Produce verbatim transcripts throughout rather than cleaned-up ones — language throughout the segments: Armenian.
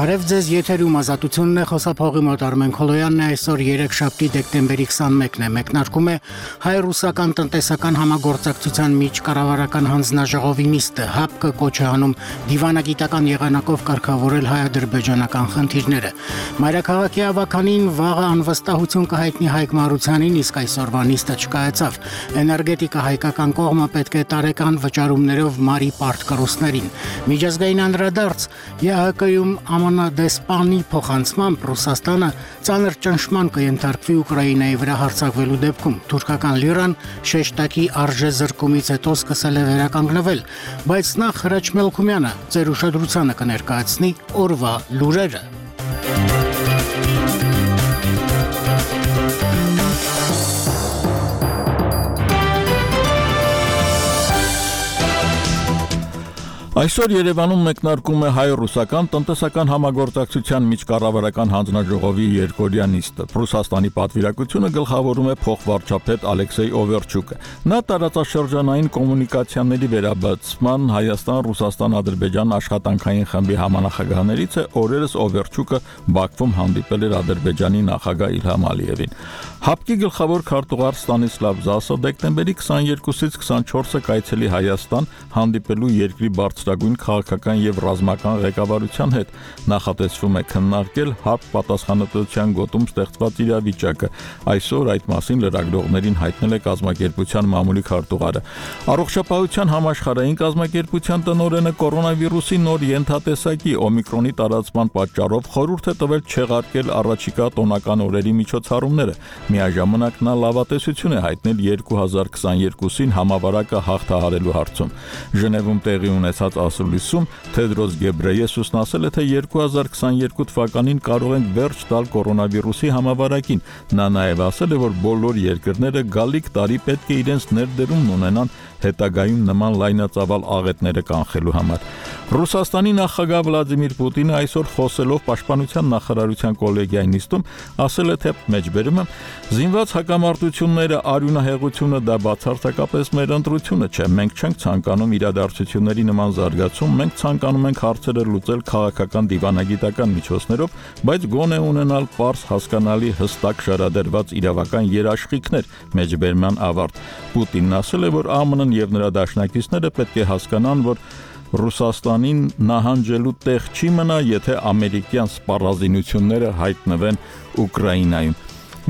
Բարև ձեզ, եթերում ազատությունն է, խոսափողի մոտ Արմեն Քոլոյանն է, այսօր երեքշաբթի դեկտեմբերի քսանմեկն է, մեկնարկում է հայ-ռուսական տնտեսական համագործակցության միջկառավարական հանձնաժողովի նիստը, ՀԱՊԿ-ը կոչ է անում դիվանագիտական եղանակով կարգավորել հայ-ադրբեջանական խնդիրները։ Մայրաքաղաքի ավականին վաղը անվստահություն կհայտնի Հայկ Մարությանին, իսկ այսօրվա նիստը չկայացավ։ Էներգետիկա հայկական կողմը պետք է տարեկան վճարումներով մարի պարտկռուսներին։ Միջազգային անդրադարձ ԵԱՀԿ-ում ԱՄՆ դեսպանի փոխանցմամբ Ռուսաստանը ծանր ճնշման կենթարկվի Ուկրաինայի վրա հարձակվելու դեպքում։ Թուրքական լիրան շեշտակի արժեզրկումից հետո սկսել է վերականգնվել, բայց նախ Հրաչ Մելքումյանը ձեր ուշադրությանը կներկայացնի օրվա լուրերը։ Այսօր Երևանում մեկնարկում է հայ-ռուսական տնտեսական համագործակցության միջկառավարական հանձնաժողովի երկօրյա նիստը։ Ռուսաստանի պատվիրակությունը գլխավորում է փոխվարչապետ Ալեքսեյ Օվերչուկը։ Նա տարածաշրջանային կոմունիկացիաների վերաբացման Հայաստան-Ռուսաստան-Ադրբեջան աշխատանքային խմբի համանախագահներից է, օրերս Օվերչուկը Բաքվում հանդիպել էր Ադրբեջանի նախագահ Իլհամ Ալիևին։ ՀԱՊԿ-ի գլխավոր քարտուղար Ստանիսլավ Զասը դեկտեմբերի քսաներկուսից քսանչորսը կայցելի Հայաստան հանդիպելու երկրի բարձրագույն քաղաքական եւ ռազմական ղեկավարության հետ նախատեսվում է քննարկել ՀԱՊԿ պատասխանատվության գոտում ստեղծված իրավիճակը։ Այսօր այդ մասին լրագրողներին հայտնել է կազմակերպության մամուլի քարտուղարը։ Առողջապահության համաշխարհային կազմակերպության տնօրենը կորոնավիրուսի նոր ենթատեսակի օմիկրոնի տարածման պատճառով խորհուրդ է տվել չեղարկել առաջիկա տոնական օրերի միջոցառումները։ Միաժամանակ նա լավատեսություն է հայտնել երկու հազար քսաներկուսին համավարակը հաղթահարելու հարցում։ Ժնևում տեղի ունեցած ասուլիսում Թեդրոս Գեբրեյեսուսն ասել է, թե երկու հազար քսաներկու թվականին կարող ենք վերջ տալ կորոնավիրուսի համավարակին։ Նա նաև ասել է, որ բոլոր երկրները գալիք տարի պետք է իրենց ներդրումն ունենան հետագայում նման լայնածավալ աղետները կանխելու համար։ Ռուսաստանի նախագահ Վլադիմիր Պուտինը այսօր խոսելով պաշտպանության նախարարության կոլեգիայի նիստում ասել է, թե մեջբերումը զինված հակամարտությունները, արյունահեղությունը դա բացարձակապես մեր ընտրությունը չէ։ Մենք չենք ցանկանում իրադարձությունների նման զարգացում, մենք ցանկանում ենք հարցերը լուծել քաղաքական դիվանագիտական միջոցներով, բայց գոնե ունենալ պարզ, հասկանալի, հստակ շարադրված իրավական երաշխիքներ։ Մեջբերման ավարտ։ Պուտինն ասել է, որ ԱՄՆ-ն եւ նրա դաշնակիցները պետք է հասկանան, որ Ռուսաստանին նահանջելու տեղ չի մնա, եթե ամերիկյան սպառազինությունները հայտնվեն Ուկրաինայում։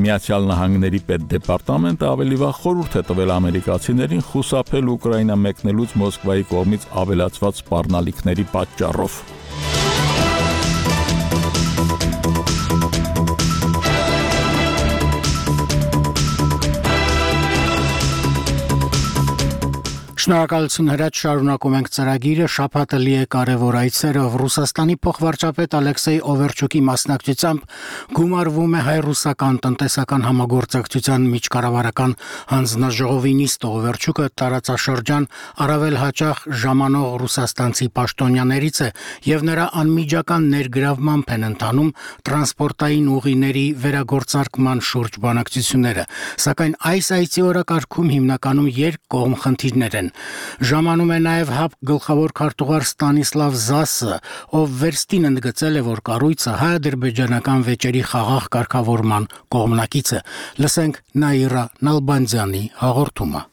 Միացյալ Նահանգների պետդեպարտամենտը ավելի վաղ խորհուրդ է տվել ամերիկացիներին խուսափել Ուկրաինա մեկնելուց Մոսկվայի կողմից ավելացված սպառնալիքների պատճառով։ Շնորհակալություն Հրաչ, շարունակում ենք ծրագիրը, շաբաթը լի է կարևոր այցերով։ Ռուսաստանի փոխվարչապետ Ալեքսեյ Օվերչուկի մասնակցությամբ գումարվում է հայ-ռուսական տնտեսական համագործակցության միջկառավարական հանձնաժողովի նիստը։ Օվերչուկը տարածաշրջան առավել հաճախ ժամանող ռուսաստանցի պաշտոնյաներից է եւ նրա անմիջական ներգրավմամբ են ընթանում տրանսպորտային ուղիների վերագործարկման շուրջ բանակցությունները։ Սակայն այս այցի օրակարգում հիմնականում երկկողմ խնդիրներ են։ Ժամանում է նաև ՀԱՊԿ գլխավոր քարտուղար Ստանիսլավ Զասը, ով վերստին ընդգծել է, որ կառույցը հայ-ադրբեջանական վեճերի խաղաղ կարգավորման կողմնակից է։ Լսենք Նաիրա Նալբանդյանի հաղորդումը։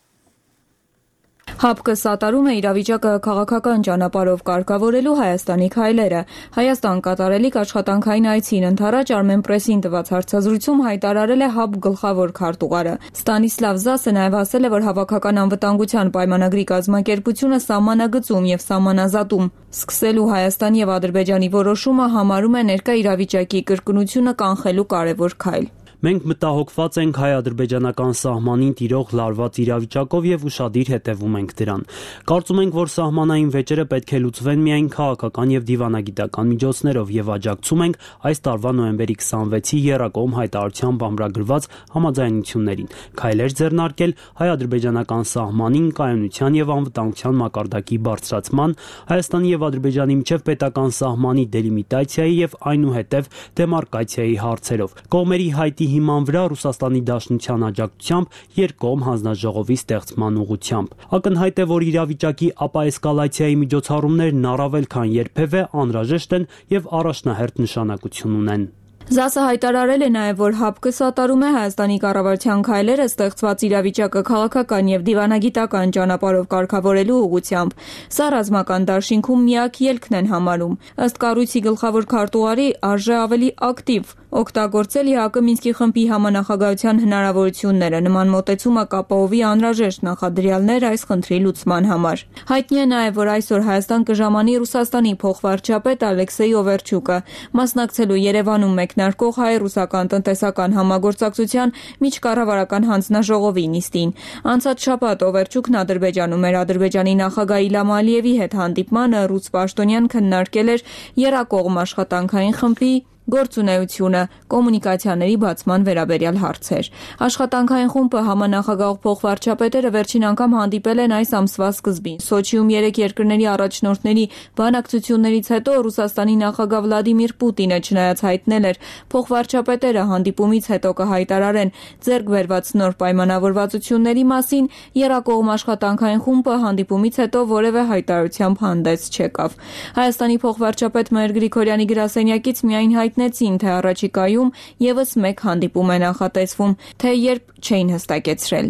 ՀԱՊԿ-ը սատարում է իրավիճակը քաղաքական ճանապարհով կարգավորելու Հայաստանի քայլերը։ Հայաստան կատարելիք աշխատանքային այցին ընդառաջ Armenpress-ին տված հարցազրույցում հայտարարել է ՀԱՊԿ գլխավոր քարտուղարը։ Ստանիսլավ Զասը նաև ասել է, որ հավաքական անվտանգության պայմանագրի կազմակերպությունը սահմանագծում եւ սահմանազատում սկսելու Հայաստանի եւ Ադրբեջանի որոշումը համարում է ներկա իրավիճակի կրկնությունը կանխելու կարևոր քայլ։ Մենք մտահոգված ենք հայ-ադրբեջանական սահմանին տիրող լարված իրավիճակով եւ ուշադիր հետևում ենք դրան։ Կարծում ենք, որ սահմանային վեճերը պետք է լուծվեն միայն քաղաքական եւ դիվանագիտական միջոցներով եւ աջակցում ենք այս տարվա նոյեմբերի քսանվեցի եռակողմ հայտարարությամբ ամրագրված համաձայնություններին։ Քայլեր ձեռնարկել հայ-ադրբեջանական սահմանին կայունության եւ անվտանգության մակարդակի բարձրացման, Հայաստանի եւ Ադրբեջանի միջև պետական սահմանի դելիմիտացիայի եւ այնուհետեւ դեմարկացիայի հարցերով։ Կողմերի հայտի հիման վրա Ռուսաստանի Դաշնության աջակցությամբ երկկողմ հանձնաժողովի ստեղծման ուղղությամբ։ Ակնհայտ է, որ իրավիճակի ապաէսկալացիայի միջոցառումներն առավել քան երբևէ անհրաժեշտ են եւ առաջնահերթ նշանակություն ունեն։ ԶԱՍ-ը հայտարարել է նաև, որ ՀԱՊԿ-ը սատարում է Հայաստանի կառավարության քայլերը ստեղծված իրավիճակը քաղաքական եւ դիվանագիտական ճանապարհով կարգավորելու ուղղությամբ։ Սա ռազմական դաշինքում միակ ելքն են համարում։ Ըստ կառույցի գլխավոր քարտուղարի, արժե ավելի ակտիվ օգտագործել ՀԱԿ Մինսկի խմբի համանախագահության հնարավորությունները։ Նման մոտեցումը կապահովի անհրաժեշտ նախադրյալներ այս խնդրի լուծման համար։ Հայտնի է նաև, որ այսօր Հայաստան կժամանի Ռուսաստանի փոխվարչապետ Ալեքսեյ Օվերչուկը, մասնակցելու Երևանում մեկնարկող հայ-ռուսական տնտեսական համագործակցության միջկառավարական հանձնաժողովի նիստին։ Անցած շաբաթ Օվերչուկն Ադրբեջանում էր Ադրբեջանի նախագահ Իլհամ Ալիևի հետ հանդիպմանը ռուս պաշտոնյան քննարկել էր Եռակողմ աշխատանքային խմբի գործունեությունը, կոմունիկացիաների բացման վերաբերյալ հարցեր։ Աշխատանքային խումբը համանախագահ փոխվարչապետերը վերջին անգամ հանդիպել են այս ամսվա սկզբին։ Սոչիում երեք երկրների առաջնորդների բանակցություններից հետո Ռուսաստանի նախագահ Վլադիմիր Պուտինը չնայած հայտնել էր, փոխվարչապետերը հանդիպումից հետո կհայտարարեն ձեռք բերված նոր պայմանավորվածությունների մասին, Եռակողմ աշխատանքային խումբը հանդիպումից հետո որևէ հայտարարությամբ հանդես չեկավ։ Հայաստանի փոխվարչապետ Մհեր Գրիգորյանի գրասենյակից միայն հայտնեցին, թե առաջիկայում եւս մեկ հանդիպում է նախատեսվում, թե երբ չէին հստակեցրել։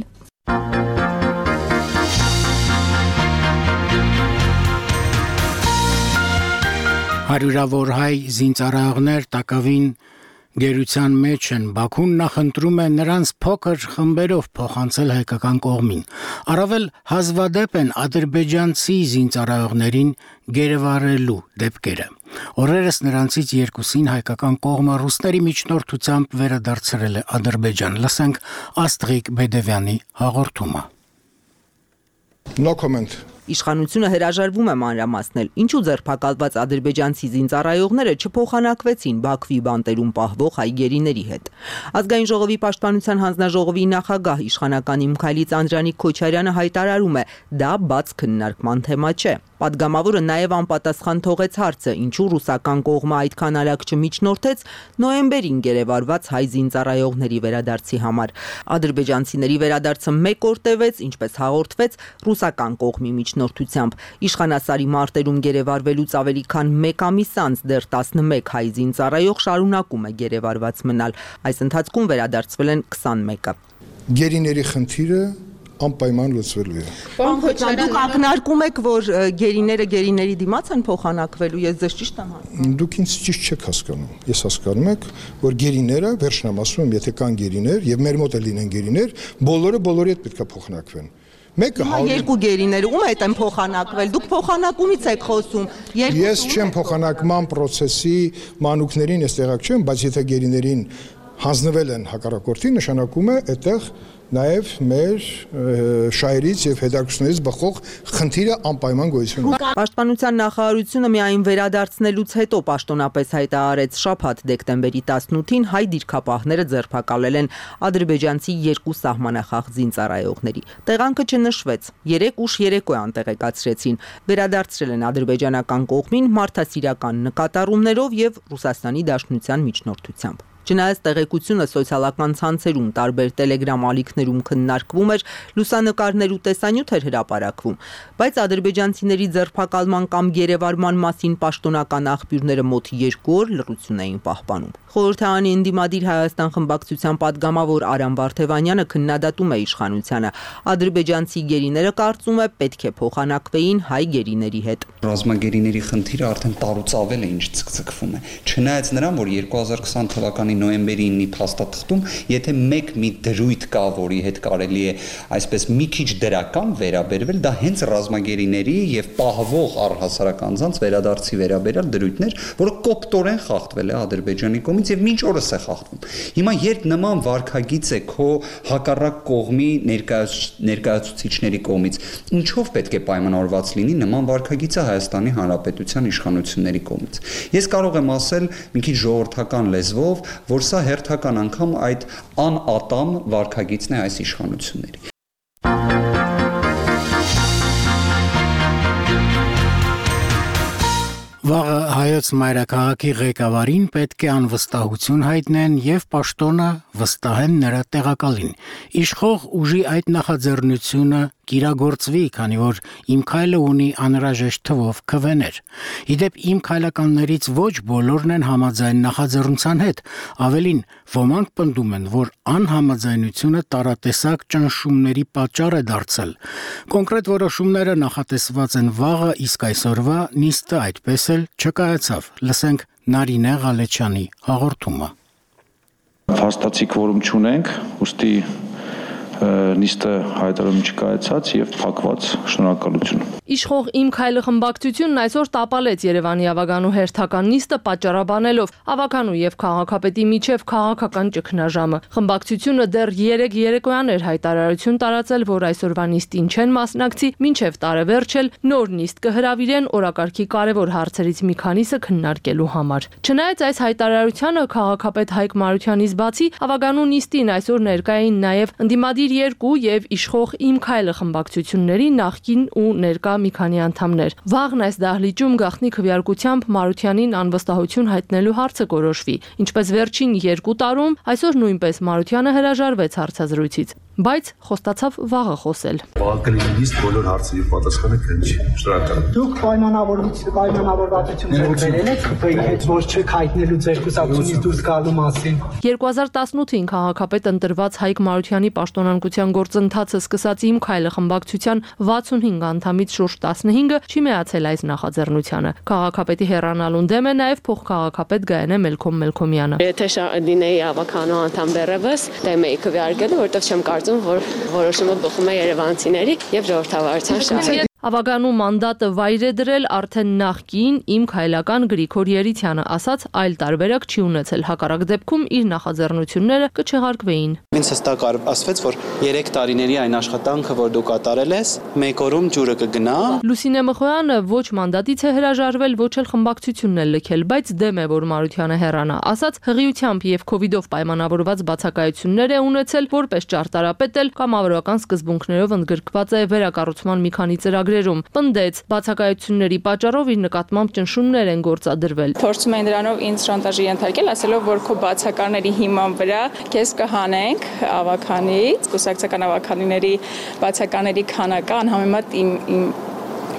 Հարյուրավոր հայ զինծառայողներ տակավին գերության մեջ են, Բաքուն նախընտրում է նրանց փոքր խմբերով փոխանցել հայկական կողմին։ Առավել հազվադեպ են ադրբեջանցի զինծառայողներին գերեվարելու դեպքերը։ Օրերս նրանցից երկուսին հայկական կողմը ռուսների միջնորդությամբ վերադարձրել է Ադրբեջան։ Լսենք Աստղիկ Բեդևյանի հաղորդումը։ No comment. Իշխանությունը հրաժարվում է մանրամասնել, ինչու ձերբակալված ադրբեջանցի զինծառայողները չփոխանակվեցին Բաքվի բանտերում պահվող հայ գերիների հետ։ Ազգային ժողովի պաշտպանության հանձնաժողովի նախագահ իշխանական Իմքայլից Անդրանիկ Քոչարյանը հայտարարում է, դա բաց քննարկման թեմա չէ։ Պատգամավորը նաև անպատասխան թողեց հարցը, ինչու ռուսական կողմը այդքան արագ չմիջնորդեց նոյեմբերին գերեվարված հայ զինծառայողների վերադարձի համար։ Ադրբեջանցիների վերադարձը մեկ օր տևեց, ինչպես հաղորդվեց, ռուսական կողմի միջնորդությամբ։ Իշխանասարի մարտերում գերեվարվելուց ավելի քան մեկ ամիս անց դեռ տասնմեկ հայ զինծառայող շարունակում է գերեվարված մնալ։ Այս ընթացքում վերադարձվել են քսանմեկը։ Գերիների խնդիրը անպայման լուծվելու է։ Պարոն Քոչարյան, դուք ակնարկում եք, որ գերիները գերիների դիմաց են փոխանակվելու, ես ձեզ ճիշտ եմ հասկանում։ Դուք ինձ ճիշտ չեք հասկանում։ Ես հասկանում եք, որ գերիները, վերջնամ ասում եմ, եթե կան գերիներ եւ մեր մոտ էլ լինեն գերիներ, բոլորը բոլորի հետ պետք է փոխանակվեն։ Մեկը երկու գերիները ում հետ են փոխանակվել։ Դուք փոխանակումից եք խոսում։ Ես չեմ փոխանակման process-ի մանուկներին ես տեղակ չեմ, բայց եթե գերիներին հանձնվել են հակառակորդի, նշանակում է այդտեղ նաև մեր շահերից եւ հետաքրքրություններից բխող խնդիրը անպայման գոյություն ունի։ Պաշտպանության նախարարությունը միայն վերադարձնելուց հետո պաշտոնապես հայտարարեց շաբաթ դեկտեմբերի տասնութին հայ դիրքապահները ձերբակալել են ադրբեջանցի երկու սահմանախախ զինծառայողների։ Տեղանքը չնշվեց։ Երեք ուշ երեկո անտեղեկացրեցին։ Վերադարձրել են ադրբեջանական կողմին մարդասիրական նկատառումներով եւ Ռուսաստանի Դաշնության միջնորդությամբ։ Չնայած տեղեկությունը սոցիալական ցանցերում տարբեր տելեգրամ ալիքներում քննարկվում էր, լուսանկարներ ու տեսանյութ էր հրապարակվում, բայց ադրբեջանցիների ձերբակալման կամ գերեվարման մասին պաշտոնական աղբյուրները մոտ երկու օր լռություն էին պահպանում։ Խորհրդարանի ընդդիմադիր Հայաստան խմբակցության պատգամավոր Արամ Վարդևանյանը քննադատում է իշխանությանը։ Ադրբեջանցի գերիները կարծում է պետք է փոխանակվեին հայ գերիների հետ։ Ռազմագերիների խնդիրը արդեն տարուց ավել է ինչ ցկցկվում է։ Չնայած նրան, որ երկու հազար քսան թվականի նոյեմբերի ինը փաստաթղթում, եթե մեկ մի դրույթ կա, որի հետ կարելի է այսպես մի քիչ դրական վերաբերվել, դա հենց ռազմագերիների եւ պահվող առհասարակ անձանց վերադարձի վերաբերյալ դրույթներ, որը կոպտորեն խախտվել է Ադրբեջանի կողմից եւ մինչ օրս է խախտվում։ Հիմա երբ նման վարքագիծ է քո հակառակ կողմի ներկայացուցիչների կողմից, ինչով պետք է պայմանավորված լինի նման վարքագիծը Հայաստանի Հանրապետության իշխանությունների կողմից։ Ես կարող եմ ասել մի քիչ ժողովրդական լեզվով, որ սա հերթական անգամ այդ անատամ վարքագիծն է այս իշխանությունների։ Վաղը հայոց մայրաքաղաքի ղեկավարին պետք է անվստահություն հայտնեն եւ պաշտոնը վստահեն նրա տեղակալին։ Իշխող ուժի այդ նախաձեռնությունը կիրագործվի, քանի որ Իմ քայլը ունի անհրաժեշտ թվով քվեներ։ Իդեպ Իմ քայլականներից ոչ բոլորն են համաձայն նախաձեռնության հետ, ավելին ոմանք պնդում են, որ անհամաձայնությունը տարատեսակ ճնշումների պատճառ է դարձել։ Կոնկրետ որոշումները նախատեսված են վաղը, իսկ այսօրվա նիստը այդպես էլ չկայացավ։ Լսենք Նարինե Ղալեչյանի հաղորդումը։ Փաստացի կորում չունենք, ուստի նիստը հայտարարում չկայացած եւ փակված, շնորհակալություն։ Իշխող Իմ քայլը խմբակցությունն այսօր տապալեց Երևանի ավագանու հերթական նիստը պատճառաբանելով ավագանու եւ քաղաքապետի միջև քաղաքական ճգնաժամը։ Խմբակցությունը դեռ երեք երեկոյան էր հայտարարություն տարածել, որ այսօրվա նիստին չեն մասնակցի, մինչև տարեվերջ էլ նոր նիստ կհրավիրեն օրակարգի կարևոր հարցերից մի քանիսը քննարկելու համար։ Չնայած այս հայտարարությանը քաղաքապետ Հայկ Մարությանից բացի ավագանու նիստին այսօր ներկա էին նաեւ ընդդիմադիր երկու եւ իշխող Իմ քայլը խմբակցությունների նախկին ու ներկա մի քանի անդամներ։ Վաղն այս դահլիճում գաղտնի քվեարկությամբ Մարությանին անվստահություն հայտնելու հարցը կորոշվի։ Ինչպես վերջին երկու տարում, այսօր նույնպես Մարությանը հրաժարվեց հարցազրույցից, բայց խոստացավ վաղը խոսել։ Բաղկալի նիստ բոլոր հարցերի պատասխանը կնչի։ Շնորհակալ։ Դուք պայմանավորված պայմանավորվածություն ձեռքբերել եք ՀՊ-ի հետ, որ չեք հայտնելու ձեր կուսակցությունից դուրս գալու մասին։ երկու հազար տասնութին քաղաքապետ ընտրված Հայկ Մարությանի պաշտոնանկության գործընթացը սկսած Իմ քայլը խմբակցության վաթսունհինգ անդամից շուրջ տասնհինգը չի միացել այս նախաձեռնությանը։ Քաղաքապետի հեռանալուն դեմ է նաև փոխքաղաքապետ Գայանե Մելքոմ Մելքոմյանը։ Եթե լինեի ավականո անդամ դեռևս, դեմ էի քվեարկելու, որովհետև չեմ կարծում, որ որոշումը բխում է երևանցիների եւ ժողովրդավարության շահերից։ Ավագանու մանդատը վայր է դրել արդեն նախկին Իմ քայլական Գրիգոր Երիցյանը, ասաց այլ տարբերակ չի ունեցել, հակառակ դեպքում իր նախաձեռնությունները կչեղարկվեին։ Ինձ հստակ ասվեց, որ երեք տարիների այն աշխատանքը, որ դու կատարել ես, մեկ օրում ջուրը կգնա։ Լուսինե Մխոյանը ոչ մանդատից է հրաժարվել, ոչ էլ խմբակցությունն է լքել, բայց դեմ է, որ Մարությանը հեռանա, ասաց հղիությամբ եւ քովիդով պայմանավորված բացակայություններ է ունեցել, որպես ճարտարապետ էլ կամավորական սկզբունքներով ընդգրկված է վերակառուցման մի քանի ծրագրերում։ Պնդեց, բացակայությունների պատճառով իր նկատմամբ ճնշումներ են գործադրվել։ Փորձում են դրանով ինձ շանտաժի ենթարկել, ասելով, որ քո բացակաների հիման վրա քեզ կհանենք ավականից, կուսակցական ավականիների բացակաների քանակը անհամեմատ իմ իմ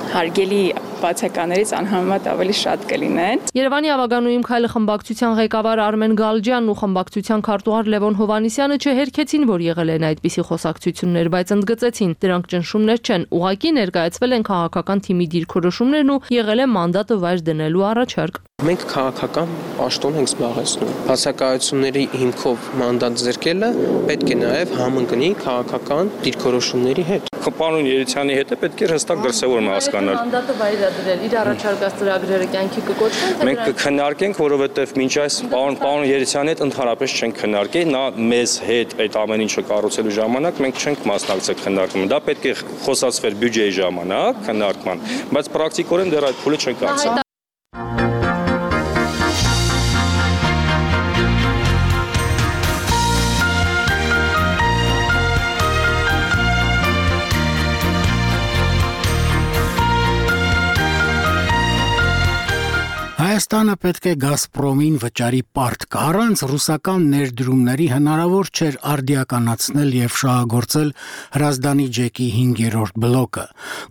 հարգելի բացականերից անհամեմատ ավելի շատ կլինեն։ Երևանի ավագանու Իմ քայլը խմբակցության ղեկավար Արմեն Գալջյանն ու խմբակցության քարտուղար Լևոն Հովհաննիսյանը չհերքեցին, որ եղել են այդպիսի խոսակցություններ, բայց ընդգծեցին, դրանք ճնշումներ չեն, ուղղակի ներկայացվել են քաղաքական թիմի դիրքորոշումներն ու եղել է մանդատը վայր դնելու առաջարկ։ Մենք քաղաքական պաշտոն ենք զբաղեցնում։ Բացակայությունների հիմքով մանդատ ձեռքելը պետք է նաև համընկնի քաղաքական դիրքորոշումների հետ։ Պարոն Երիցյանի հետ է պետք է հստակ դրսևորում հասկանալ։ Մանդատը վայր է դրել, իր առաջարկած ծրագրերը կյանքի կկոչվեն, թե մենք կքննարկենք, որովհետև մինչ այս պարոն պարոն Երիցյանի հետ ընդհանրապես չենք քննարկել, նա մեզ հետ այդ ամեն ինչը կառուցելու ժամանակ մենք չենք մասնակցել քննարկմանը։ Դա պետք է խոսացվեր բյուջեի ժամանակ քննարկման, բայց պրակտիկորեն դեռ այդ փուլը չենք անցել։ Հայաստանը պետք է Գազպրոմին վճարի պարտք, առանց ռուսական ներդրումների հնարավոր չէր արդիականացնել եւ շահագործել Հրազդանի ջեկի հինգերորդ բլոկը։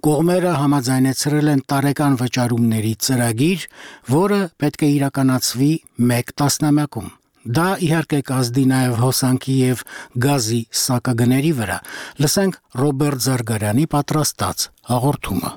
Կողմերը համաձայնեցրել են տարեկան վճարումների ծրագիր, որը պետք է իրականացվի մեկ տասնամյակում։ Դա իհարկե կազդի նաև հոսանքի եւ գազի սակագների վրա։ Լսենք Ռոբերտ Զարգարյանի պատրաստած հաղորդումը։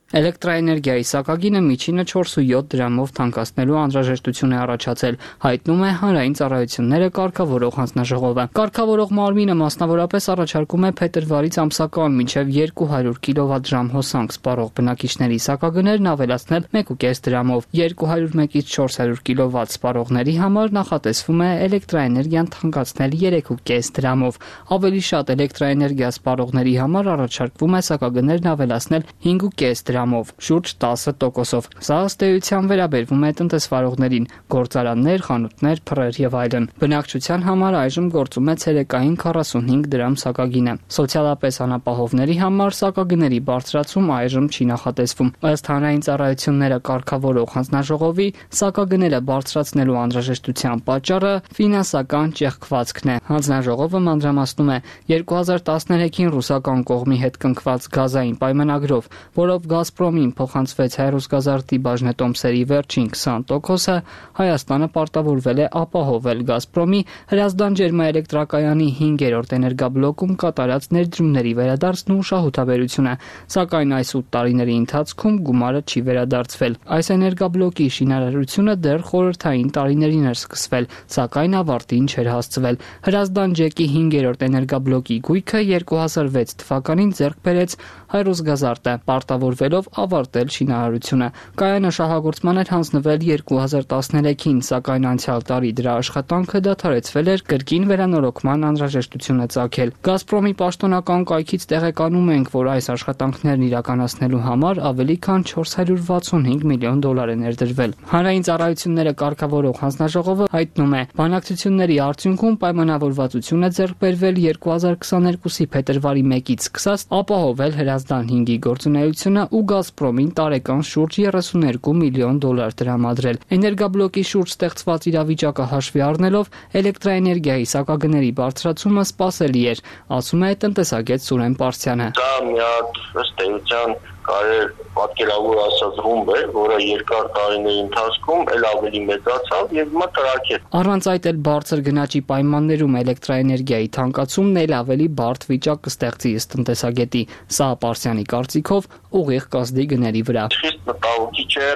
Էլեկտրաէներգիայի սակագինը միջինը չորս ու յոթ դրամով թանկացնելու անհրաժեշտություն է առաջացել, հայտնում է Հանրային ծառայությունները կարգավորող հանձնաժողովը։ Կարգավորող մարմինը մասնավորապես առաջարկում է փետրվարից ամսական մինչև երկու հարյուր կիլովատ-ժամ հոսանք սպառող բնակիչների սակագներն ավելացնել մեկ ու կես դրամով, երկու հարյուր մեկից չորս հարյուր կիլովատ սպառողների համար նախատեսվում է էլեկտրաէներգիան թանկացնել երեք ու կես դրամով։ Ավելի շատ էլեկտրաէներգիա սպառողների համար առաջարկվում է սակագներն ավելացնել հինգ ու կես դրամ դրամով, շուրջ տասը տոկոսով։ Սա ըստ էության վերաբերվում է տնտեսվարողներին, գործարաններ, խանութներ, փռեր եւ այլն։ Բնակչության համար այժմ գործում է ցերեկային քառասունհինգ դրամ սակագինը։ Սոցիալապես անապահովների համար սակագների բարձրացում այժմ չի նախատեսվում։ Ըստ հանրային ծառայությունները կարգավորող հանձնաժողովի, սակագները բարձրացնելու անհրաժեշտության պատճառը ֆինանսական ճեղքվածքն է։ Հանձնաժողովը մանրամասնում է երկու հազար տասներեքին ռուսական կողմի հետ կնքված գազային պայմանագրով, որով Գազպրոմին փոխանցվեց հայ-ռուսգազարդի բաժնետոմսերի վերջին քսան տոկոսը, Հայաստանը պարտավորվել է ապահովել Գազպրոմի Հրազդան ջերմաէլեկտրակայանի հինգերորդ էներգաբլոկում կատարած ներդրումների վերադարձն ու շահութաբերությունը, սակայն այս ութ տարիների ընթացքում գումարը չի վերադարձվել։ Այս էներգաբլոկի շինարարությունը դեռ խորհրդային տարիներին էր սկսվել, սակայն ավարտին չէր հասցվել։ Հրազդան ջեկի հինգերորդ էներգաբլոկի գույքը երկու հազար վեց թվականին ձեռք բերեց հայ-ռուսգազարդը, պարտավորվելով ավարտել շինարարությունը։ Կայանը շահագործման էր հանձնվել երկու հազար տասներեքին, սակայն անցյալ տարի դրա աշխատանքը դադարեցվել էր կրկին վերանորոգման անհրաժեշտությունը ծագել։ Գազպրոմի պաշտոնական կայքից տեղեկանում ենք, որ այս աշխատանքներն իրականացնելու համար ավելի քան չորս հարյուր վաթսունհինգ միլիոն դոլար է ներդրվել։ Հանրային ծառայությունները կարգավորող հանձնաժողովը հայտնում է, բանակցությունների արդյունքում պայմանավորվածություն է ձեռք բերվել երկու հազար քսաներկուսի փետրվարի մեկից սկսած ապահովել Հրազդան հինգի գործունեությունը ու Գազպրոմին տարեկան շուրջ երեսուներկու միլիոն դոլար տրամադրել։ Էներգաբլոկի շուրջ ստեղծված իրավիճակը հաշվի առնելով էլեկտրաէներգիայի սակագների բարձրացումը սպասելի էր, ասում է տնտեսագետ Սուրեն Պարսյանը։ Դա մի հատ ըստ էության կարելի պատկերավոր ասած ռումբ է, որը երկար տարիների ընթացքում էլ ավելի մեծացավ եւ հիմա տրակեց։ Առանց այդ էլ բարձր գնաճի պայմաններում էլեկտրաէներգիայի թանկացումն էլ ավելի բարդ վիճակ կստեղծի ըստ տնտեսագետի։ Սա Պարսյանի կարծիքով ուղիղ կազդի գների վրա։ Խիստ մտահոգիչ է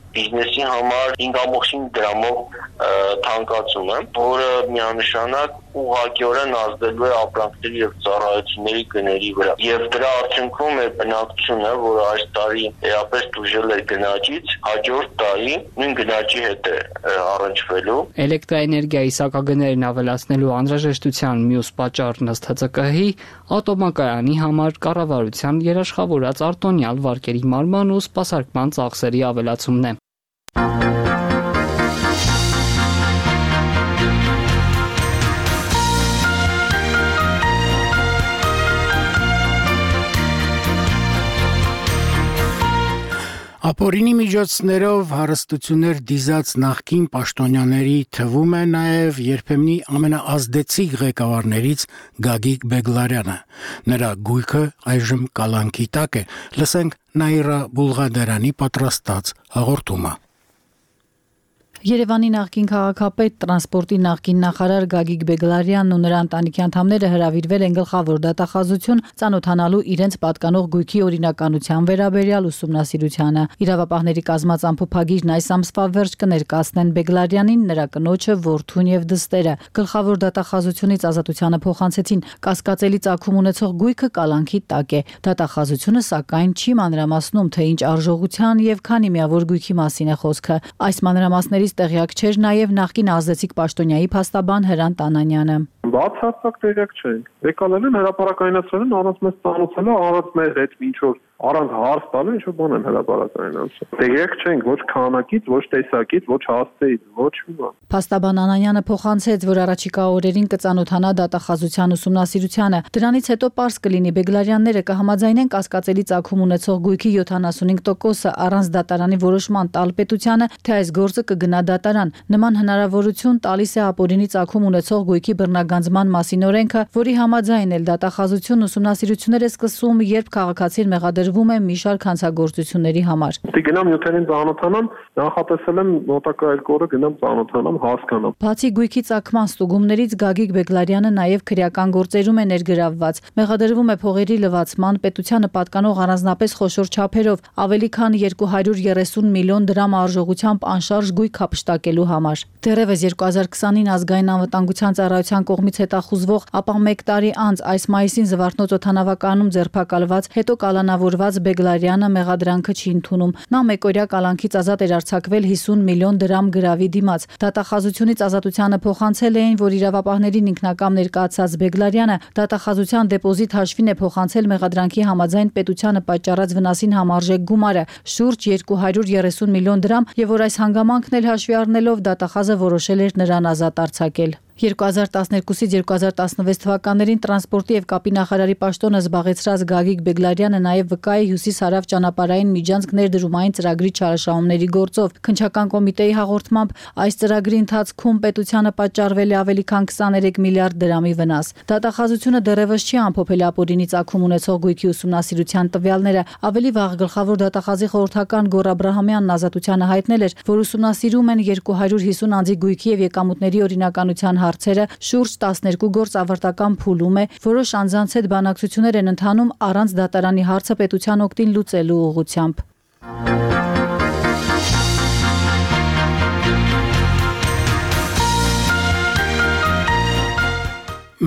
բիզնեսի համար հինգ կoma cinci դրամով թանկացումը, որը միանշանակ ուղղակիորեն ազդելու է ապրանքների եւ ծառայությունների գների վրա։ Եվ դրա արդյունքում է բնակչությունը, որը այս տարի էապես դժվել է գնաճից, հաջորդ տարի նույն գնաճի հետ է առնչվելու։ Էլեկտրաէներգիայի սակագներն ավելացնելու անհրաժեշտության մյուս պատճառն ըստ Հ Ծ Կ Հ-ի ատոմակայանի համար կառավարության երաշխավորած արտոնյալ վարկերի մարման ու սպասարկման ծախսերի ավելացումն է։ Ապօրինի միջոցներով հարստություններ դիզած նախկին պաշտոնյաների թվում է նաև երբեմնի ամենաազդեցիկ ղեկավարներից Գագիկ Բեգլարյանը։ Նրա գույքը այժմ կալանքի տակ է։ Լսենք Նաիրա Բուլղադարյանի պատրաստած հաղորդումը։ Երևանի նախկին քաղաքապետ, տրանսպորտի նախկին նախարար Գագիկ Բեգլարյանն ու նրա ընտանիքի անդամները հրավիրվել են գլխավոր դատախազություն ծանոթանալու իրենց պատկանող գույքի օրինականության վերաբերյալ ուսումնասիրությանը։ Իրավապահների կազմած ամփոփագիրն այս ամսվա վերջ կներկայացնեն Բեգլարյանին, նրա կնոջը, որդուն եւ դստերը։ Գլխավոր դատախազությունից ազատությանը փոխանցեցին կասկածելի ծագում ունեցող գույքը կալանքի տակ է։ Դատախազությունը սակայն չի մանրամասնում, թե ինչ արժողության եւ քանի միավոր գույքի մասին է խոսքը։ Այս մանրամասների տեղյակ չէր նաև նախկին ազդեցիկ պաշտոնյայի փաստաբան Հրանտ Անանյանը։ Բացարձակ տեղյակ չէին։ Եկալել են հրապարակայնացրել են առանց մեզ ծանոթանալու, առանց մեր հետ ինչ որ առանց հարց տալու ինչ որ բան են հրապարակայնացրել։ Տեղյակ չենք ոչ քանակից, ոչ տեսակից, ոչ հասցեից, ոչ մի բան։ Փաստաբան Անանյանը փոխանցեց, որ առաջիկա օրերին կծանոթանա դատախազության ուսումնասիրությանը։ Դրանից հետո պարզ կլինի Բեգլարյանները կհամաձայնեն կասկածելի ծագում ունեցող գույքի յոթանասունհինգ տոկոսը առանց դատարանի որոշման տալ պետությանը, թե այս գործը կգնա դատարան։ Նման հնարավորություն տալիս է ապօրինի ծագում ունեցող գույքի բռնագանձման մասին օրենքը, որի համաձայն էլ դատախազությունն ուսումնասիրություններ է սկսում, երբ քաղաքացին մեղադրվում է մի շարք հանցագործությունների համար։ Դե գնամ յոթերին ծանոթանամ, նախատեսել եմ մոտակա երկու օրը գնամ ծանոթանամ, հասկանամ։ Բացի գույքի ծագման ստուգումներից Գագիկ Բեգլարյանը նաև քրեական գործերում է ներգրավված։ Մեղադրվում է փողերի լվացման, պետությանը պատկանող առանձնապես խոշոր չափերով ավելի քան երկու հարյուր երեսուն միլիոն դրամ արժողությամբ անշարժ գույք հափշտակելու համար։ Դեռևս երկու հազար քսանին ազգային անվտանգության ծառայության կողմից հետախուզվող, ապա մեկ տարի անց այս մայիսին Զվարթնոց օդանավականում ձերբակալված, հետո կալանավորված կալանավորված Բեգլարյանը մեղադրանքը չի ընդունում։ Նա մեկօրյա կալանքից ազատ էր արձակվել հիսուն միլիոն դրամ գրավի դիմաց։ Դատախազությունից ազատությանը փոխանցել էին, որ իրավապահներին ինքնակամ ներկայացած Բեգլարյանը դատախազության դեպոզիտ հաշվին է փոխանցել մեղադրանքի համաձայն պետությանը պատճառած վնասին համարժեք գումարը՝ շուրջ երկու հարյուր երեսուն միլիոն դրամ, եւ որ այս հանգամանքն էլ հաշվի առնելով դատախազը որոշել էր նրան ազատ արձակել։ երկու հազար տասներկուսից երկու հազար տասնվեց թվականներին տրանսպորտի եւ կապի նախարարի պաշտոնը զբաղեցրած Գագիկ Բեգլարյանը նաեւ վկայի հյուսիս-հարավ ճանապարհային միջանցք ներդրումային ծրագրի չարաշահումների գործով։ Քննչական կոմիտեի հաղորդմամբ այս ծրագրի ընթացքում պետությանը պատճառվել է ավելի քան քսաներեք միլիարդ դրամի վնաս։ Դատախազությունը դեռևս չի ամփոփել ապօրինի ծագում ունեցող գույքի ուսումնասիրության տվյալները։ Ավելի վաղ գլխավոր դատախազի խորհրդական Գոռ Աբրահամյանն ազատությանը հայտնել էր, որ ուսումնասիրում են երկու հարյուր հիսուն անձի գույքի եւ եկամուտների օրինականության հարցերը, շուրջ տասներկու գործ ավարտական փուլում է, որոշ անձանց հետ բանակցություններ են ընթանում առանց դատարանի հարցը պետության օգտին լուծելու ուղղությամբ։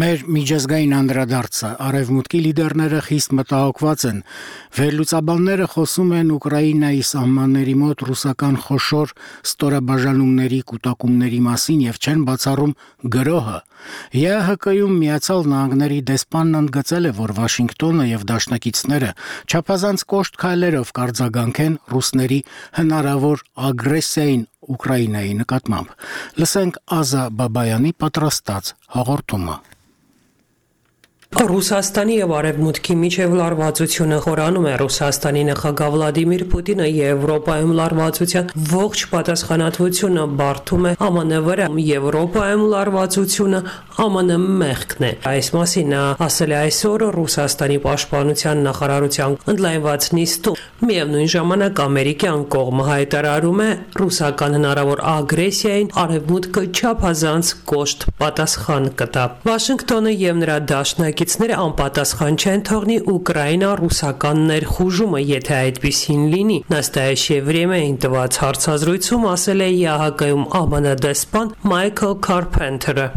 Մեր միջազգային անդրադարձը արևմուտքի լիդերները խիստ մտահոգված են։ Վերլուծաբանները խոսում են Ուկրաինայի սահմանների մոտ ռուսական խոշոր ստորաբաժանումների կուտակումների մասին եւ չեն բացառում գրոհը։ ԵԱՀԿ-ում Միացյալ Նահանգների դեսպանն ընդգծել է, որ Վաշինգտոնը եւ դաշնակիցները չափազանց կոշտ քայլերով կարձագանքեն ռուսների հնարավոր ագրեսիային Ուկրաինայի նկատմամբ։ Լսենք Ազա Բաբայանի պատրաստած հաղորդումը։ Ռուսաստանի եւ Արևմուտքի միջև լարվածությունը խորանում է։ Ռուսաստանի նախագահ Վլադիմիր Պուտինը Եվրոպայում լարվածության ողջ պատասխանատվությունը բարդում է ԱՄՆ վրա։ Եվրոպայում լարվածությունը ԱՄՆ մեղքն է։ Այս մասին նա ասել է այսօր Ռուսաստանի պաշտպանության նախարարության ընդլայնված նիստում։ Միևնույն ժամանակ ամերիկյան կողմը հայտարարում է ռուսական հնարավոր ագրեսիային Արևմուտքը չափազանց կոշտ պատասխան կտա։ Վաշինգտոնը եւ նրա դաշնակիցները անպատասխան չեն թողնի Ուկրաինա-ռուսական ներխուժումը, եթե այդպիսին լինի։ Настоящее время-ին տված հարցազրույցում ասել է ԵԱՀԿ-ում ԱՄՆ դեսպան Մայքլ Կարփենթերը։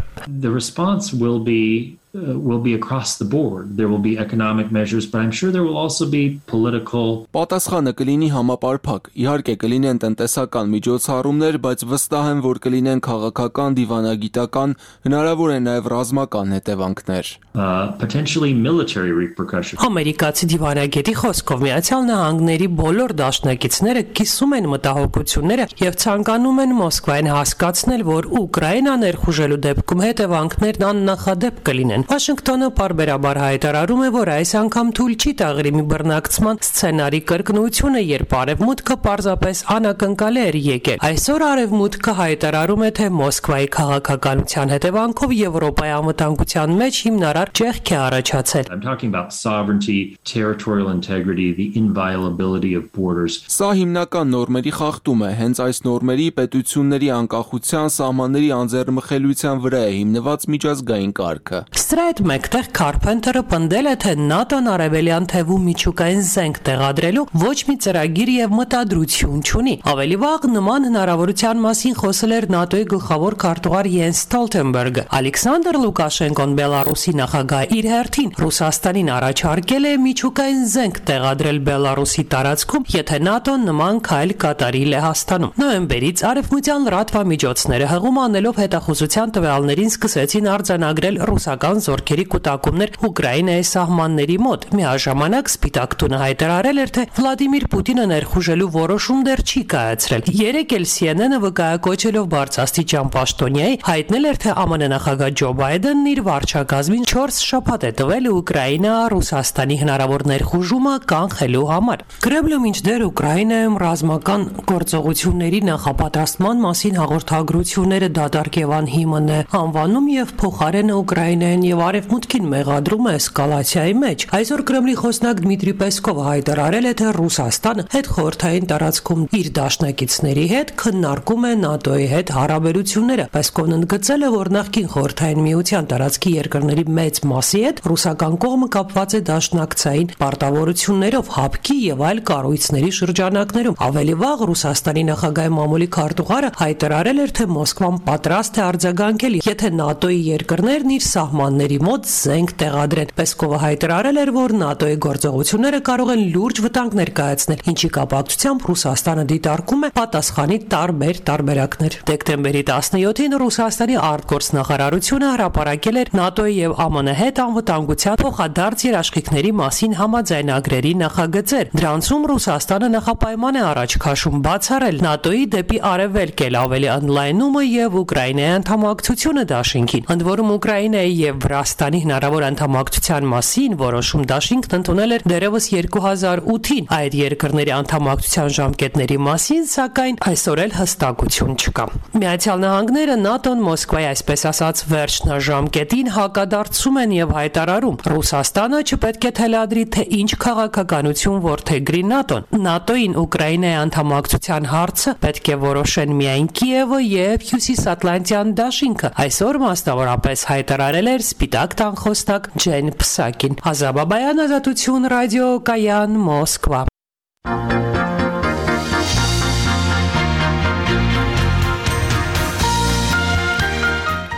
The response will be Uh, will be across the board. There will be economic measures, but I'm sure there will also be political. Պատասխանը կլինի համապարփակ։ Իհարկե կլինեն տնտեսական միջոցառումներ, բայց վստահ եմ, որ կլինեն քաղաքական, դիվանագիտական, հնարավոր է նաև ռազմական հետևանքներ։ Uh, potentially military repercussions. Ամերիկացի դիվանագետի խոսքով Միացյալ Նահանգների բոլոր դաշնակիցները կիսում են մտահոգությունները եւ ցանկանում են Մոսկվային հասկացնել, որ Ուկրաինա ներխուժելու դեպքում հետևանքներն աննախադեպ կլինեն։ Վաշինգտոնը պարբերաբար հայտարարում է, որ այս անգամ թույլ չի տաղրի մի բռնակցման սցենարի կրկնությունը, երբ Արևմուտքը պարզապես անակնկալ էր եկել։ Այսօր Արևմուտքը հայտարարում է, թե Մոսկվայի քաղաքականության հետևանքով Եվրոպայի անվտանգության մեջ հիմնարար ճեղք է առաջացել։ I'm talking about sovereignty, territorial integrity, the inviolability of borders. Սա հիմնական նորմերի խախտում է, հենց այս նորմերի պետությունների անկախության, սահմանների անձեռնմխելիության վրա է հիմնված միջազգային կարգը։ Սրա հետ մեկտեղ Կարփենթերը պնդել է, թե ՆԱՏՕ-ն արևելյան թևում միջուկային զենք տեղադրելու ոչ մի ծրագիր եւ մտադրություն չունի։ Ավելի վաղ նման հնարավորության մասին խոսել էր ՆԱՏՕ-ի գլխավոր քարտուղար Յենս Ստոլտենբերգը։ Ալեքսանդր Լուկաշենկոն Բելարուսի նախագահ իր հերթին Ռուսաստանին առաջարկել է միջուկային զենք տեղադրել Բելարուսի տարածքում, եթե ՆԱՏՕ-ն նման քայլ կատարի Լեհաստանում։ Նոյեմբերից արևմտյան լրատվամիջոցները հղում անելով հետախուզության տվյալներին սկսեցին արձանագրել ռուսական զորքերի կուտակումներ Ուկրաինայի սահմանների մոտ։ Միաժամանակ Սպիտակ տունը հայտարարել էր, թե Վլադիմիր Պուտինը ներխուժելու որոշում դեռ չի կայացրել։ Երեկ էլ Սի Էն Էն-ը վկայակոչելով բարձրաստիճան պաշտոնյայի հայտնել էր, թե ԱՄՆ նախագահ Ջո Բայդենն իր վարչակազմին չորս շաբաթ է տվել Ուկրաինա-Ռուսաստանի հնարավոր ներխուժումը կանխելու համար։ Կրեմլը մինչդեռ Ուկրաինայում ռազմական գործողությունների նախապատրաստման մասին հաղորդագրությունները դատարկ եւ անհիմն է անվանում եւ փոխարենը Ուկրաինային եւ Արևմուտքին մեղադրում է էսկալացիայի մեջ։ Այսօր Կրեմլի խոսնակ Դմիտրի Պեսկովը հայտարարել է, թե Ռուսաստանը հետխորհրդային տարածքում իր դաշնակիցների հետ քննարկում է ՆԱՏՕ-ի հետ հարաբերությունները։ Պեսկովն ընդգծել է, որ նախկին խորհրդային միության տարածքի երկրների մեծ մասի հետ ռուսական կողմը կապված է դաշնակցային պարտավորություններով հապկի եւ այլ կառույցների շրջանակներում։ Ավելի վաղ Ռուսաստանի նախագահի մամուլի քարտուղարը հայտարարել էր, թե Մոսկվան պատրաստ է արձագանքել, եթե ՆԱՏՕ-ի երկրներն իր սահմանները սահմանների մոտ զենք տեղադրեն։ Պեսկովը հայտարարել էր, որ ՆԱՏՕ-ի գործողությունները կարող են լուրջ վտանգ ներկայացնել, ինչի կապակցությամբ Ռուսաստանը դիտարկում է պատասխանի տարբեր տարբերակներ։ Դեկտեմբերի տասնյոթին Ռուսաստանի արտգործնախարարությունը հրապարակել էր ՆԱՏՕ-ի եւ ԱՄՆ-ի հետ անվտանգության փոխադարձ երաշխիքների մասին համաձայնագրերի նախագծեր։ Դրանցում Ռուսաստանը նախապայման է առաջ քաշում բացառել ՆԱՏՕ-ի դեպի արևելք էլ ավելի ընդլայնումը եւ Ուկրաինայի անդամակցությունը դաշինքին։ Ընդ որում Ուկրաինայի եւ Վրաստանի հնարավոր անդամակցության մասին որոշում դաշինքն ընդունել էր դեռևս երկու հազար ութին։ Այդ երկրների անդամակցության ժամկետների մասին, սակայն այսօր էլ հստակություն չկա։ Միացյալ Նահանգները ՆԱՏՕ-ն Մոսկվայի այսպես ասած վերջնաժամկետին հակադարձում են եւ հայտարարում. Ռուսաստանը չպետք է թելադրի, թե ինչ քաղաքականություն որդեգրի ՆԱՏՕ-ն։ ՆԱՏՕ-ին Ուկրաինայի անդամակցության հարցը պետք է որոշեն միայն Կիևը եւ Հյուսիսատլանտյան դաշինքը։ Այսօր մասնավորապես հայտարարել էր Սպիտակ տան խոսնակ Ջեն Փսակին։ Ազաբաբայան, Ազատություն, ռադիո Կայան, Մոսկվա։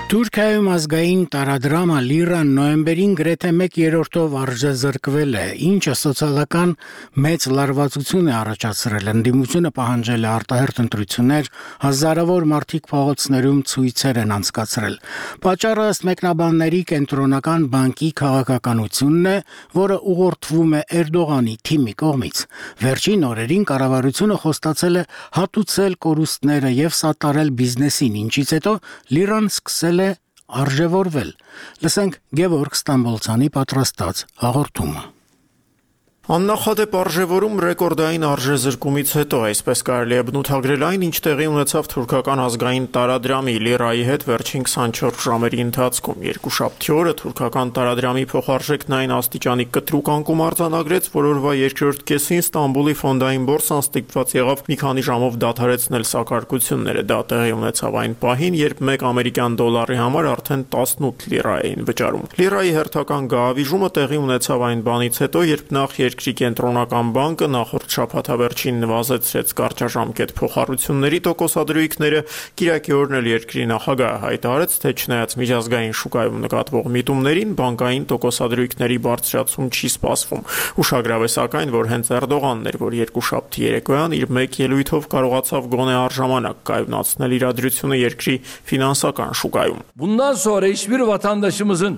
Թուրքիայում ազգային տարադրամը լիրան նոյեմբերին գրեթե մեկ երրորդով արժեզրկվել է, ինչը սոցիալական մեծ լարվածություն է առաջացրել, ընդդիմությունը պահանջել է արտահերթ ընտրություններ, հազարավոր մարդիկ փողոցներում ցույցեր են անցկացրել։ Պատճառը ըստ մեկնաբանների կենտրոնական բանկի քաղաքականությունն է, որը ուղղորդվում է Էրդողանի թիմի կողմից։ Վերջին օրերին կառավարությունը խոստացել է հատուցել կորուստները եւ սատարել բիզնեսին, ինչից հետո լիրան սկսել արժևորվել։ Լսենք Գևորգ Ստամբոլցյանի պատրաստած հաղորդումը։ Աննախադեպ արժևորում ռեկորդային արժեզրկումից հետո, այսպես կարելի է բնութագրել այն, ինչ տեղի ունեցավ թուրքական ազգային տարադրամի լիրայի հետ վերջին քսանչորս ժամերի ընթացքում։ Երկուշաբթի օրը թուրքական տարադրամի փոխարժեքն այն աստիճանի կտրուկ անկում արձանագրեց, որ օրվա երկրորդ կեսին Ստամբուլի ֆոնդային բորսան ստիպված եղավ մի քանի ժամով դադարեցնել սակարկությունները։ Դա տեղի ունեցավ այն պահին, երբ մեկ ամերիկյան դոլարի համար արդեն տասնութ լիրա էին վճարում։ Լիրայի հերթական գահավիժումը տեղի ունեցավ այն բանից հետո, երբ նախ Երկրի կենտրոնական բանկը նախորդ շաբաթավերջին նվազեցրեց կարճաժամկետ փոխառությունների տոկոսադրույքները, կիրակի օրն էլ երկրի նախագահը հայտարարեց, թե չնայած միջազգային շուկայում նկատվող միտումներին, բանկային տոկոսադրույքների բարձրացում չի սպասվում։ Ուշագրավ է սակայն, որ հենց Էրդողանն էր, որ երկուշաբթի երեկոյան իր մեկ ելույթով կարողացավ գոնե առժամանակ կայունացնել իրադրությունը երկրի ֆինանսական շուկայում։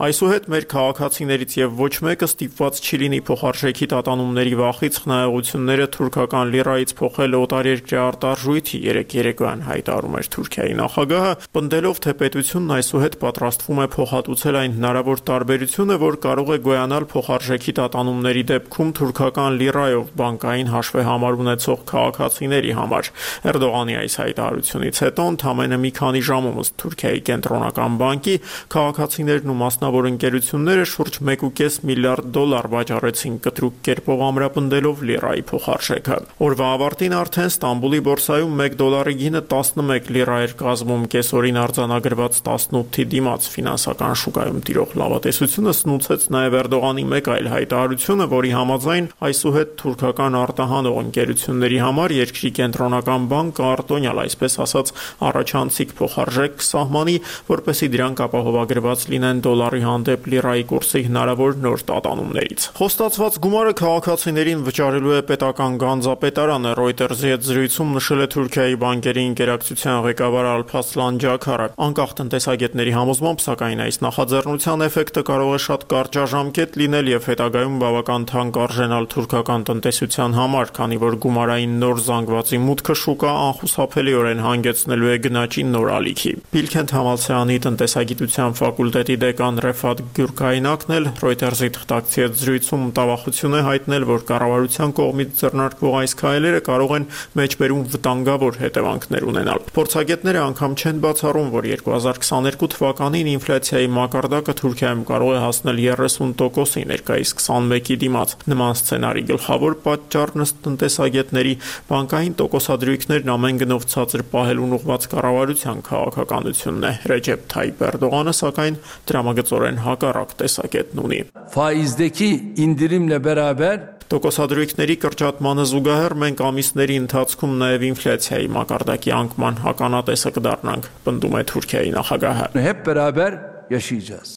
Այսուհետ մեր քաղաքացիներից եւ ոչ մեկը ստիպված չի լինի փոխարժեքի տատանումների վախից խնայողությունները թուրքական լիրայից փոխել օտարերկրյա արտարժույթի, երեկ երեկոյան հայտարարում էր Թուրքիայի նախագահը, պնդելով, թե պետությունն այսուհետ պատրաստվում է փոխհատուցել այն հնարավոր տարբերությունը, որ կարող է գոյանալ փոխարժեքի տատանումների դեպքում թուրքական լիրայով բանկային հաշվեհամար ունեցող քաղաքացիների համար։ Էրդողանի այս հայտարարությունից հետո ընդամենը մի քանի ժամում ըստ Թուրքիայի կենտրոնական բանկի քաղաքացիներն ու մասնավոր ընկերությունները շուրջ մեկ կόμμα պենս միլիարդ դոլար վաճառեցին կտրուկ կերպով ամրապնդելով լիրայի փոխարժեքը։ Օրվա ավարտին արդեն Ստամբուլի բորսայում մեկ դոլարի գինը տասնմեկ լիրա էր կազմում, կեսօրին արձանագրված տասնութի դիմաց ֆինանսական շուկայում տիրող լավատեսությունը սնուցեց նաև Էրդողանի մեկ այլ հայտարարությունը, որի համաձայն այսուհետ թուրքական արտահանող ընկերությունների համար երկրի կենտրոնական բանկը արտոնյալ, այսպես ասած, առաջանցիկ փոխարժեք սահմանի, որպեսզի դրանք ապահովագրված լինեն դոլարի հանդեպ լիրայի կուրսի հնարավոր նոր տատանումներից։ Խոստացված գումարը քաղաքացիներին վճարելու է պետական գանձապետարանը, Reuters-ի հետ զրույցում նշել է Թուրքիայի բանկերի ինտերակցիան ղեկավար Ալփասլան Ջաքարը։ Անկախ տնտեսագետների համոզմամբ, սակայն այս նախաձեռնության էֆեկտը կարող է շատ կարճաժամկետ լինել եւ հետագայում բավական թանկ արժենալ թուրքական տնտեսության համար, քանի որ գումարային նոր զանգվածի մուտքը շուկա անխուսափելիորեն հանգեցնելու է գնաճի նոր ալիքի։ Բիլքենթ համալսարանի տնտեսագիտության ֆակուլտետի դեկան Ռեֆատ Գյուրքայնակն էլ Reuters-ի թղթակցի հետ զրույցում մտավախություն է հայտնել, որ կառավարության կողմից ձեռնարկվող այս քայլերը կարող են մեջբերում վտանգավոր հետևանքներ ունենալ։ Փորձագետները անգամ չեն բացառում, որ երկու հազար քսաներկու թվականին ինֆլյացիայի մակարդակը Թուրքիայում կարող է հասնել երեսուն տոկոսի, ներկայիս քսանմեկի դիմաց։ Նման սցենարի գլխավոր պատճառն ըստ տնտեսագետների բանկային տոկոսադրույքներն ամեն գնով ցածր պահելուն ուղղված կառավարության քաղաքականությունն է։ Ռեջեփ Թայիփ Էրդողանը, սակայն, դրամագծորեն հակառակ տեսակետն ունի։ Faizdeki indirimle beraber Տոկոսադրույքների կրճատմանը զուգահեռ մենք ամիսների ընթացքում նաև ինֆլյացիայի մակարդակի անկման հականատեսը կդառնանք, պնդում է Թուրքիայի նախագահը։ Hep beraber yaşayacağız.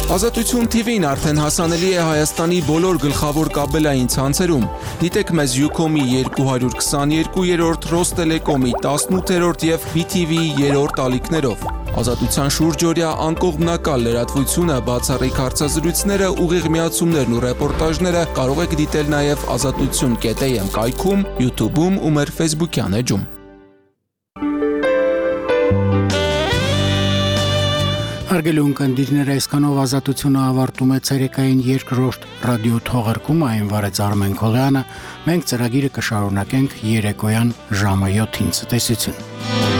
Ազատություն թի վին արդեն հասանելի է Հայաստանի բոլոր գլխավոր կաբելային ցանցերում։ Դիտեք մեզ Ucom-ի երկու հարյուր քսաներկու, Ռոստելեկոմի տասնութերորդ եւ բի թի վի-ի երրորդ ալիքներով։ Ազատության շուրջօրյա անկողմնակալ լրատվությունը, բացառիկ հարցազրույցները, ուղիղ միացումներն ու ռեպորտաժները կարող եք դիտել նաև ազատություն կետ էյ էմ կայքում, YouTube-ում ու մեր Facebook-յան էջում։ Հարգելի ունկնդիրներ, այսքանով ազատությունը ավարտում է ցերեկային երկրորդ ռադիո թողարկումը, այն վարեց Արմեն Քոլյանը։ Մենք ծրագիրը կշարունակենք երեկոյան ժամը յոթին։ Ցտեսություն։